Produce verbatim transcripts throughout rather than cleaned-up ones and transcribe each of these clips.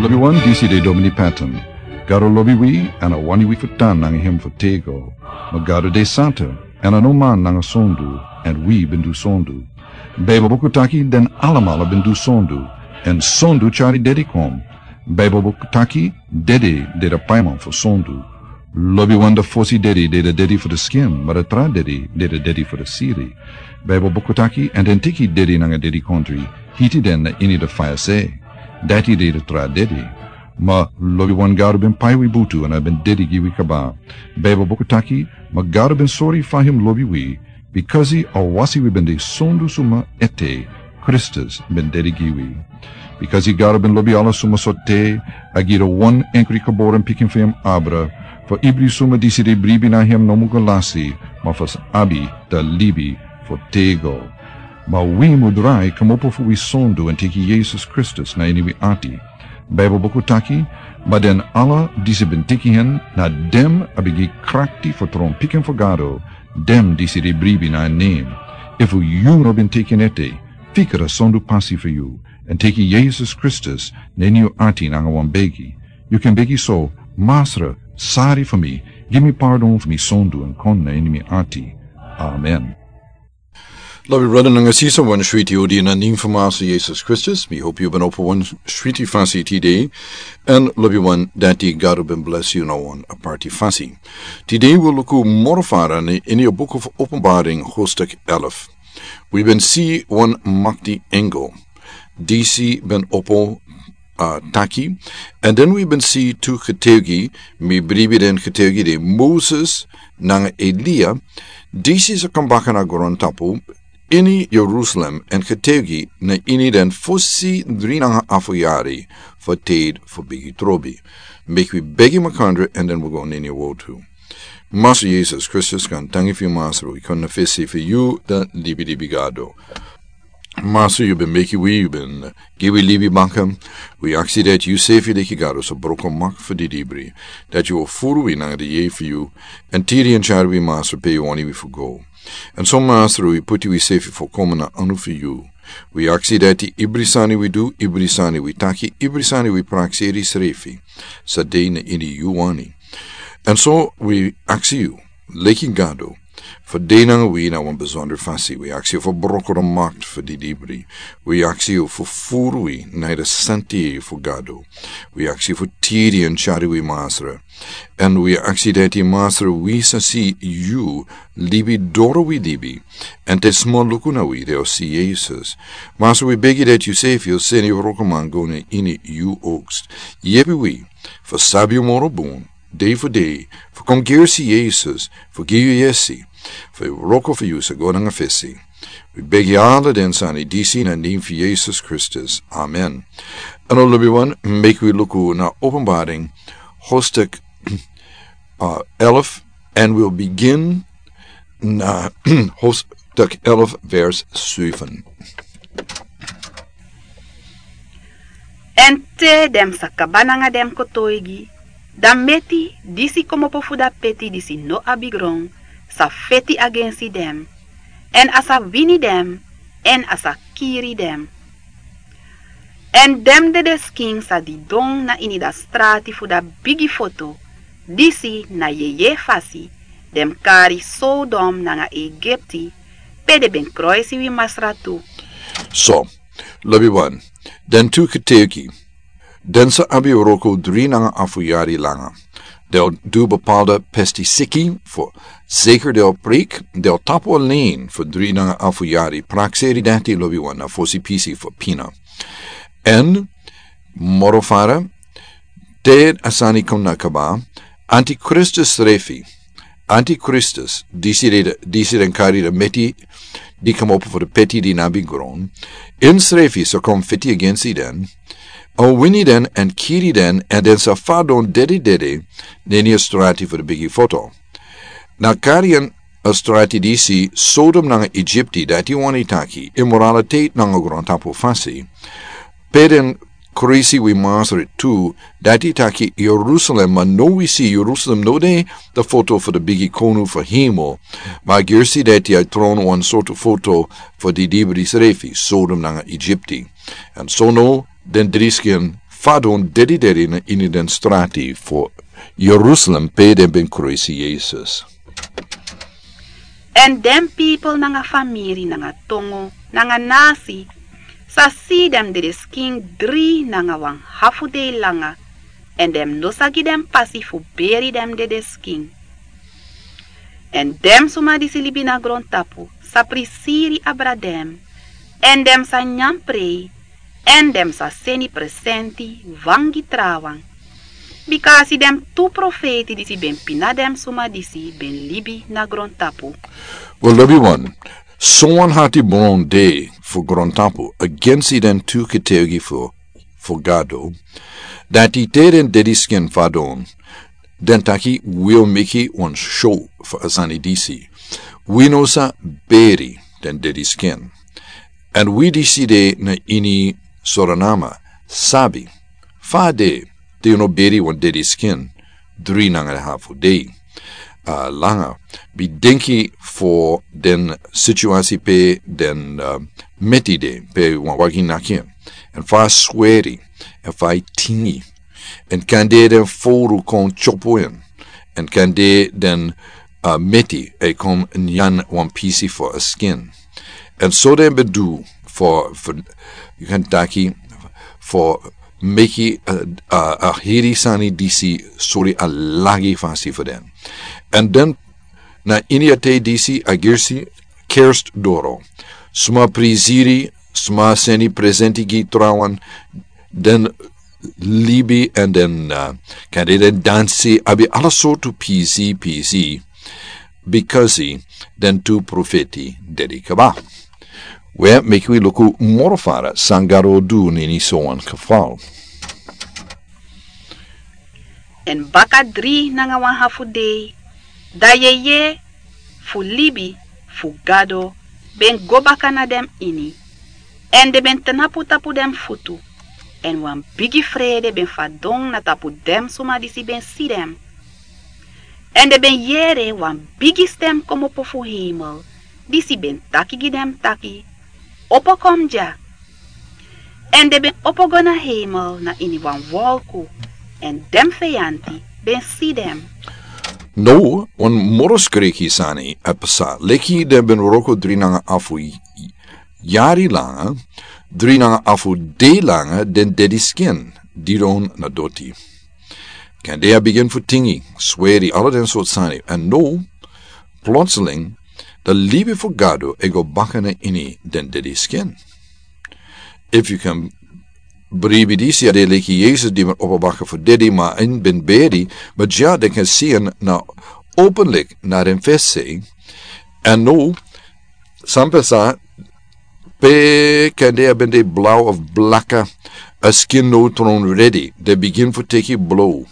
Lobi wan, disi de Domini Patton. Gado lobi wi, èn a wani wi fu tan nanga hem fu tego. Ma Gado de santa, èn a no man nanga sondu, èn wi ben du sondu. Baibel buku taki den alamala ben du sondu, èn sondu tyari dedi kon. Baibel buku taki dedi de da paiman fu sondu. Lobi wan, da fosi dedi de da dedi fu da skin, ma da tra dedi de da dedi fu da siri. Baibel buku taki, èn den teki dedi nanga dedikontri, hiti den na ini da faya se. Dati de da tra dedi. Ma lobi wan, Gado ben pai wi butu èn a ben dedi gi wi kaba. Baibel buku taki, ma Gado ben sori fa hem lobi wi, bikasi a wasi wi ben de sondu suma ete, Kristus ben dedi gi wi. Bikasi Gado ben lobi ala suma so te, a gi da wan enkri geboren pikin fu hem abra, fu ibri suma disi de bribi na hem no mu go lasi, ma fu sa abi da libi fu tego. Ma wi mu drai kmopo fu wi sondu èn teki Yesus Kristus na ini wi ati. Baibel buku taki, ma den ala disi ben teki hen, na den a ben gi krakti fu tron pikin fu Gado, den disi de bribi na en nen. Efu yu no ben teki en ete, fika da sondu pasi fu yu, èn teki Yesus Kristus na ini yu ati nanga wan begi. Yu kan begi so: Masra, sori fu mi, gi mi pardon fu mi sondu èn kon na ini mi ati. Amen. Lobi brada nanga sisa, wan switi odi na nen fu Masra Yesus Kristus. Mi hopi yu ben opo wan switi fasi tide. Èn lobi wan, dati Gado ben blesi yu na wan aparti fasi. Tide wi luku moro fara na ini a buku fu Openbaring, hoofdstuk elf. Wi ben si wan makti engel, disi ben opo, a, taki. Èn den wi ben si tu getuigi, mi bribi den getuigi de Moses nanga Elia, disi sa kon baka na grontapu ini Jerusalem èn getuigi na ini den fosi dri nanga afu yari fu tide fu bigi trobi. Meki wi begi makandra èn den wi go na ini a wortu. Masra Yesus Kristus, kon danki fu yu, Masra, wi kon na fesi fu yu, da libi libi Gado. Masra, yu ben meki wi, yu ben gi wi libi baka. Wi aksi dati yu sefi, leki Gado sa broko makti fu didibri, dati yu o furu wi nanga di yeye fu yu, èn tiri èn tyari wi, Masra, pe yu wani wi fu go. Èn so, Masra, wi puti wi sefi fu kon na anu fu yu. Wi aksi dati ibri sani wi du, ibri sani wi taki, ibri sani wi prakseri srefi, sa de na ini yu wani. Èn so wi aksi yu, leki Gado, fu de nanga wi na wan besondro fasi. Wi aksi yu fu broko makti fu didibri. Wi aksi yu fu furu wi na a santi fu Gado. Wi aksi yu fu tiri èn tyari wi, Masra. Èn wi aksi dati, Masra, wi sa si yu libi doro wi libi. Èn te sma luku na wi, den o si Yesus. Masra, wi begi dati yu sefi o seni yu wrokoman go na ini yu oogst. Yepi wi fu sabi yu moro bun dei fu dei, fu kon gersi Yesus fu gi yu yesi, fu yu wroko fu yu sa go nanga fesi. Wi begi ala den sani disi na nen fu Yesus Kristus. Amen. Èn lobi wan, meki wi luku na Openbaring, hoofdstuk, a, elf, and we'll begin na hoofdstuk elf, vers zeven. Èn te den sa kaba nanga den kotoigi, dan meti disi komopo fu da peti disi no abi gron sa feti agensi den, èn a sa wini den, èn a sa kiri den. Èn den dedeskin sa didon na ini da strati fu da bigi foto, disi na yeye fasi den kari Sodom nanga Egipti, pe den ben kroisi wi Masra tu. So, lobi wan, den tu getuigi, den sa abi wroko dri nanga afu yari langa. Den o du bepaalde pestisiki fu zeker den o preek, den o tapu alen fu dri nanga afu yari, prakseri dati, lobi wan, na fosi pisi fu pina. Èn moro fara, te a sani kon na kaba, antikristus srefi, antikristus, disi den, disi den kari da meti di komopo fu da peti di no abi gron, ensrefi sa kon feti agensi den, a wini den èn kiri den, èn den sa fadon dede dede na ini a strati fu da bigi foto. Na kari en a strati disi Sodom nanga Egipti, dati wani taki imoralitet nanga grontapu fasi. Pe den kroisi wi Masra tu, dati taki Jerusalem, ma now wi si Jerusalem no de da foto fu da bigi konu fu hemel, ma gersi dati a tron wan sortu foto fu didibri srefi, Sodom nanga Egipti. Èn so now den dri skin fadon dedidedi na ini den strati fu Jerusalem pe den ben kruisi Yesus. Èn den pipel nanga famiri nanga tongo nanga nasi sa si den dedeskin dri nanga wan hafu dei langa, èn den no sa gi den pasi fu beri den dedeskin. Èn den suma disi libi na grontapu sa prisiri abra den, èn den sa nyan prei, èn den sa seni presenti wan gi trawan. Bika a si den tu profeiti disi ben pina den suma disi ben libi na grontapu. Wel, lobi wan, sowan hati bron de fu grontapu agensi den tu ketegi fu fu Gado, dati te den dediskin fadon, den taki wi o meki wan show fu a sani disi. Wi no sa beri den dediskin. Èn wi disi de na ini Soranama sabi fa de te yu no beri wan dediskin dri nanga hafu dei, ah, langa. Bi denki fu den situasi pe den, ah, meti de pe wan wagi naki en, èn fa a sweri, èn fa a tingi, èn kande den fowru kon tyopo en, èn kande den, ah, meti e kon nyan wan pisi fu a skin. Èn so den ben du fu, fu, yu kan taki, fu meki, ah, ah, a heri sani disi sori a lagi fasi fu den. Èn den na ini a tei disi a gersi kerst doro. Suma prisiri, suma seni presenti gi trawan, den libi èn den, ah, kande den dansi, abi ala sortu pisi, pisi, bikasi den tu profeti dedi kaba. We, meki wi luku moro fara san Gado du na ini sowan kafal. Èn baka dri nanga wan hafu dei, da yeye fu libi fu Gado ben go baka na den ini, èn den ben tnapu tapu den futu, èn wan bigi frede ben fadon na tapu den suma disi ben si den. Èn den ben yere wan bigi stem kmopo fu heimel, disi ben taki gi den taki: Opo kon dya. Èn den ben opo go na heimel na ini wan wolku, èn den feyanti ben si den. Now, wan moro skriki sani e psa, leki den ben wroko dri nanga afu yari langa, dri nanga afu dei langa den dediskin didon na doti. Kande a bigin fu tingi, sweri, ala den sortu sani. Èn now, plotseling, da libi fu Gado e go baka na ini den dediskin. Efu yu kan bribi disi, a de leki Yesus di ben opo baka fu dedi, ma a no ben beri, ma dya den kan si en na openlik na den fesi. Èn now, san psa, pe kande a ben de blaw of blaka, a skin now tron redi, den bigin fu teki blow.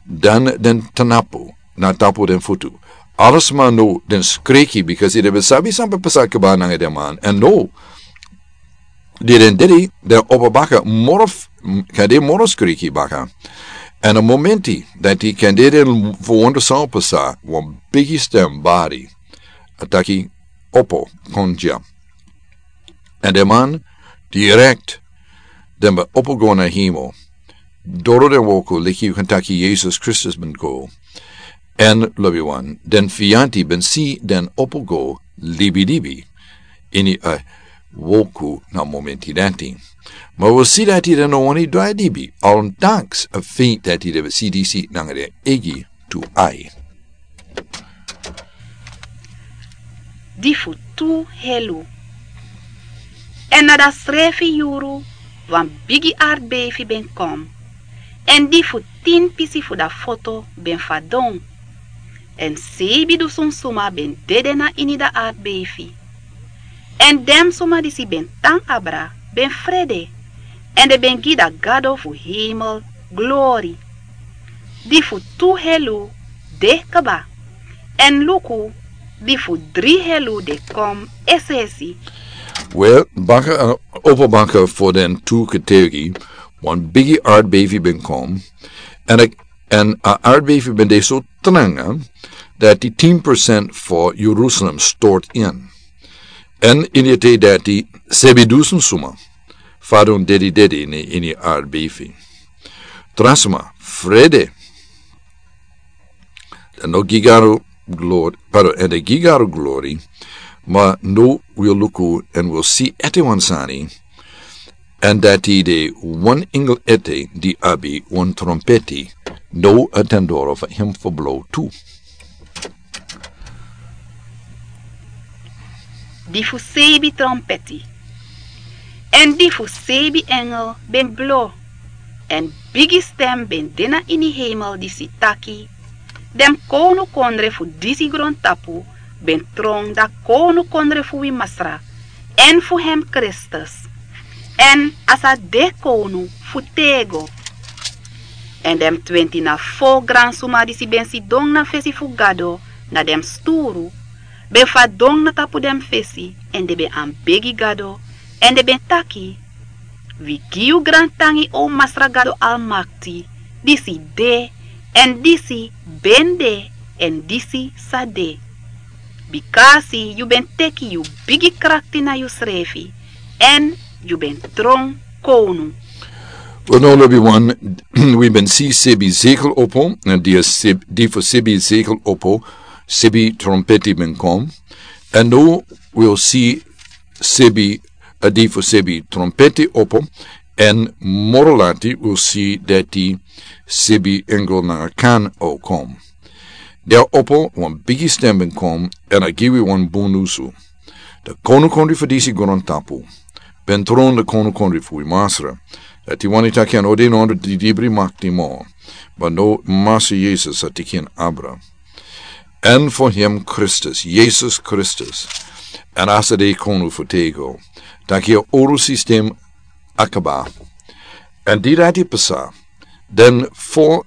Dan den tnapu na tapu den futu. Ala sma now den skriki, bikasi den ben sabi san ben psa kaba nanga den man. Èn now, di den dedi, den opo baka moro f-, m-, kande moro skriki baka. Èn a momenti dati kande den fu wonder san o psa, wan bigi stem bari a taki: Opo kon dya. Èn den man, direkt, den ben opo go na heimel. Doro den wolku, leki yu kan taki Yesus Kristus ben go. Èn lobi wan, den feyanti ben si den opo go libilibi ini a wolku na momenti dati. Ma wi si dati den no wani drai libi, ondanks a feit dati den ben si disi nanga den eigi tu ai. Di fu tu helu. Èn na dasrefi yuru wan bigi artbeifi ben kon. Èn di fu tin pisi fu da foto ben fadon. Èn seibi dusun suma ben dede na ini da artbeifi. Èn den suma disi ben tan abra ben frede, èn den ben gi da Gado fu heimel glori. Di fu tu helu de kba, èn luku, di fu dri helu de kon es'esi. Wel, baka, eh, opo baka fu den tu ketegi, wan bigi artbeifi ben kon, èn a, èn a artbeifi ben de so tranga dati tin procent fu Jerusalem stort in. Èn ini a tei dati seibi dusun suma fadon dedidedi na ini a artbeifi. Brasma, frede. Dan no gi Gado glori, pardon, èn den gi Gado glori. Ma no wi o luku èn wi o si ete wan sani. Èn dati de wan engel ete di abi wan trompeti. No a ten doro fu hem fu blo tu. Di fu seibi trompeti. Èn di fu seibi engel ben blo. Èn bigi stem ben de na ini heimel disi taki: Den kownukondre fu disi grontapu ben tron, da kownukondre fu wi Masra èn fu hem Kristus, èn a sa de kownu fu tego. Èn den twenti na fo gransuma disi ben sidon na fesi fu Gado na den sturu ben fadon na tapu den fesi, èn den ben anbegi Gado, èn den ben taki: Wi gi yu grantangi, o Masra Gado Almakti, disi de, èn disi ben de, èn disi sa de. Bikasi yu ben teki yu bigi krakti na yusrefi, èn yu ben tron kownu. Wel, now lobi wan, wi ben si sebi zekel opo, èn di a seb-, di fu sebi zekel opo, sebi trompeti ben kon. Èn now wi o si sebi, a di fu sebi trompeti opo, èn moro lati wi o si dati sebi engel nanga kan o kon. Di a opo, wan bigi stem ben kon, èn a gi wi wan bun nusu. Da kownukondre fu disi grontapu ben tron, da kownukondre fu wi Masra. Dati wani taki a no de na ondro di dibri makti moro, ma now Masra Yesus a teki en abra. Èn fu hem Kristus, Yesus Kristus, èn a sa de kownu fu tego. Taki a oro sistem a kaba. Èn di dati pasa, den fo,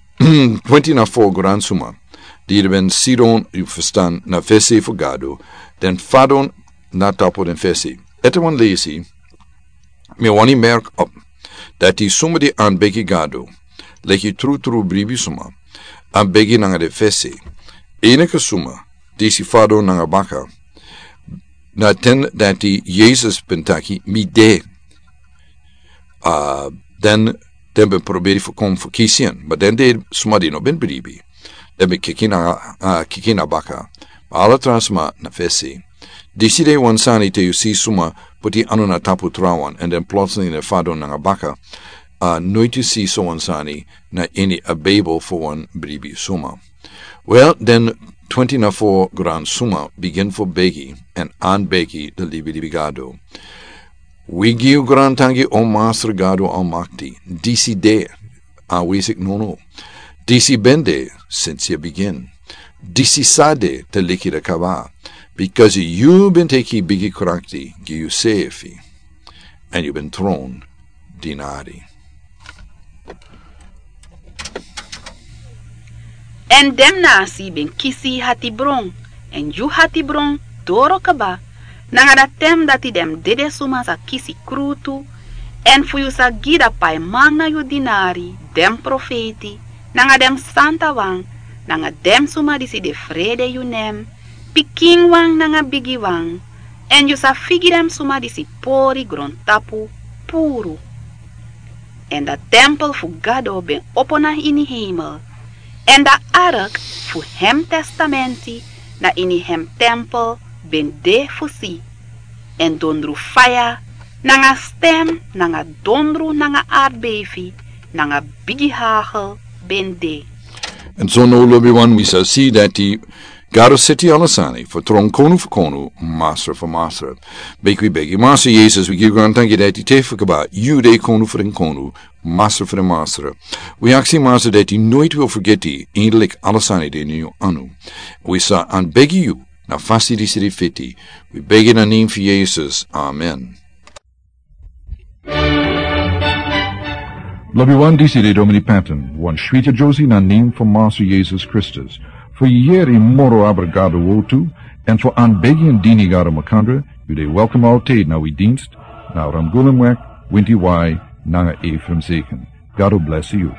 twenti na fo gransuma di ben sidon, yu ferstan, na fesi fu Gado, den fadon na tapu den fesi. Ete wan lesi, mi wani merk op dati suma di anbegi Gado, leki trutru bribi suma, anbegi nanga den fesi. Enige suma disi fadon nanga baka, na ten dati Yesus ben taki: Mi de. A, den, den ben proberi fu kon fu kisi en, ma den de suma di no ben bribi. Den ben kiki na, a, kiki na baka. Ma ala tra suma na fesi. Disi de wan sani te yu si suma puti anu na tapu trawan, èn den plotseling den fadon nanga baka. A, noiti yu si so wan sani na ini a Bijbel fu wan bribi suma. Wel, den twenti na fo gransuma bigin fu begi èn anbegi den libilibi Gado. Wi gi yu grantangi, o Masra Gado Almakti, disi de, a wi sik nunu. Disi ben de sinsi a bigin. Disi sa de te leki a kaba. Bikasi yu ben teki bigi krakti gi yusefi, èn yu ben tron dinari. Èn den nasi ben kisi hatibron, èn yu hatibron doro kaba, nanga da ten dati den dede suma sa kisi krutu, èn fu yu sa gi da paiman na yu dinari, den profeiti, nanga den santawan, nanga den suma disi de frede yu nen, pikinwan nanga bigiwan, èn yu sa figi den suma disi pori grontapu puru. Èn da tempel fu Gado ben opo na ini heimel, èn da ark fu hem testamenti na ini hem tempel ben de fu si. Èn dondru faya, nanga stem, nanga dondru, nanga artbeifi, nanga bigi hagel ben de. Èn so now lobiwan, wi sa si dati Gado seti ala sani fu tron, kownu fu kownu, masra fu masra. Meki wi begi. Masra Yesus, wi gi yu grantangi dati te fu kaba yu de kownu fu den kownu, masra fu den masra. Wi aksi Masra dati noiti wi o fergeti, eindelijk ala sani de na yu anu. Wi sa anbegi yu na fasi disi di fiti. Wi begi na nen fu Yesus. Amen. Lobiwan, disi de Domini Patton, wan switi Josie na nen fu Masra Yesus Kristus. Fu yere moro abra Gado wortu, èn fu anbegi èn dini Gado makandra, yu de welkom altijd na wi dienst, na Ramgulemweg, Winti Wai, nanga Ephraim Zeken. Gado blesi yu.